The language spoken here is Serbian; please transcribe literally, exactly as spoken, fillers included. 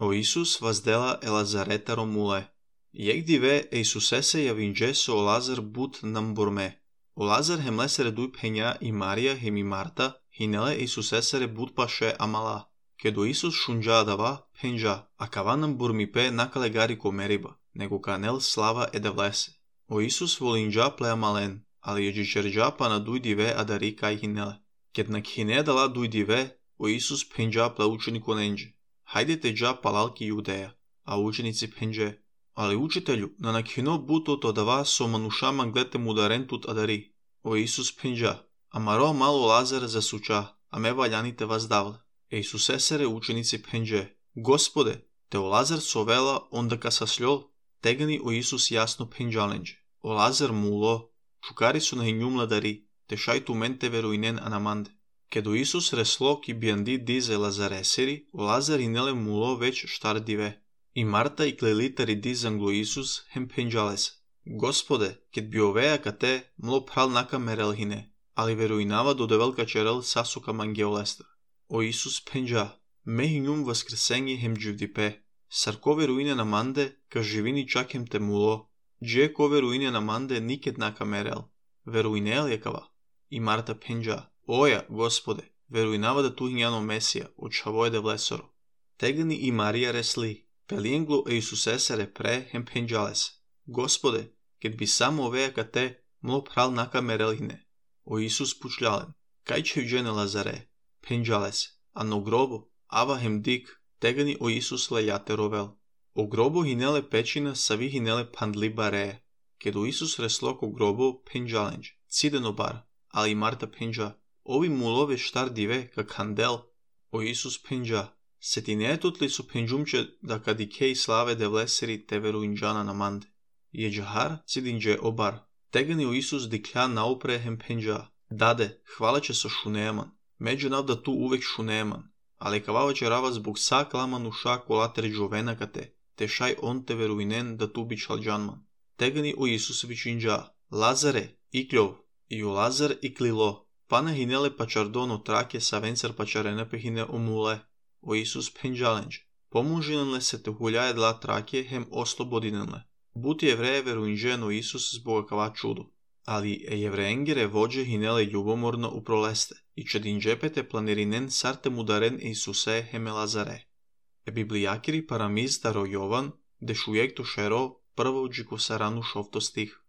O Iisus vazdela Elazareta romule. Iec dive Iisusese iavingeso o Lazar but namburme. O Lazar hem lesere dui penia i Maria hem i Marta, hinele Iisusesere but pashe amala. Kedo Iisus shunja dava, penja, a cava namburmi pe nakale gari comeriba, nego canel slava edevlese. O Iisus volinja plea malen, ali egicerja pana dui dive adari kai hinele. Ket nak hine dala dui dive, o Iisus penja plea učeniku nenđe. Hajdete đa palalki Judeja, a učenici penđe. Ali učitelju, na nakhino buto to dava so manušama glete mudarentut adari. O Iisus penđa, amaro malo Lazar zasuča, a me valjanite vas davle. E Iisusesere učenici penđe, Gospode, te o Lazar sovela onda ka sasljol, tegani o Iisus jasno penđalenđe. O Lazar mulo, čukari su na hinjum dari, te šajtu mente veruinen anamande. Kedo Iisus reslo ki biandi dize Lazareseri, o Lazar inele mulo već štar dive. I Marta i klelitari dizanglo Iisus hem penđales. Gospode, ket bi oveja ka te mlo pral naka merelhine, ali veruinava do develka čerel sasuka mangeolestra. O Iisus penđa, me hinjum vaskrsenji hem dživdipe, sar ko veruine namande, ka živini čak hem te mulo, dže ko veruine namande niket naka merel, veruinel je kava. I Marta penđa, oja, Gospode, veruinava da tu hinjano Mesija, očavo je devlesoro. Tegani i Marija resli, pelienglo Iisusesere pre hem penđales. Gospode, ket bi samo oveja ka te mlo pral naka merelhine. O Iisus pučljalen, kaj će uđene Lazare, penđales, a no grobo, ava hem dik, tegani o Iisus lejate rovel. O grobo hinele pečina savi hinele pandli bare, ket o Iisus reslo ko grobo penđalenđ, cideno bar, ali Marta penđa, ovi mulove štar dive ka kandel. O Iisus penđa, se ti ne tutli su penđumče da kadikej slave devleseri te veruinđana namande. Je džahar cidinđe obar, tegani o Iisus diklja naupre hem penđa, dade, hvala će so šuneman, među nav da tu uvek šuneman, ali kavava će rava zbog sak laman uša kolater džovena ka te, te šaj on te veruinen da tu bi čalđanman. Tegani o Iisus vičinđa, Lazare, ikljov, i o Lazar iklilo, pana hinele pačardono trake sa vencer pačarene pehine omule. O Iisus penđalenđ, pomožinenle se te huljaje dla trake hem oslobodinenle. Buti jevreje veruinđeno Iisus zboga kava čudo, ali e jevreengere vođe hinele ljubomorno uproleste, i čedinđepete planirinen sarte mudaren Iisuse heme Lazare. E biblijakiri paramiz daro Jovan, de šujek to šero prvo džiko saranu šovto stih.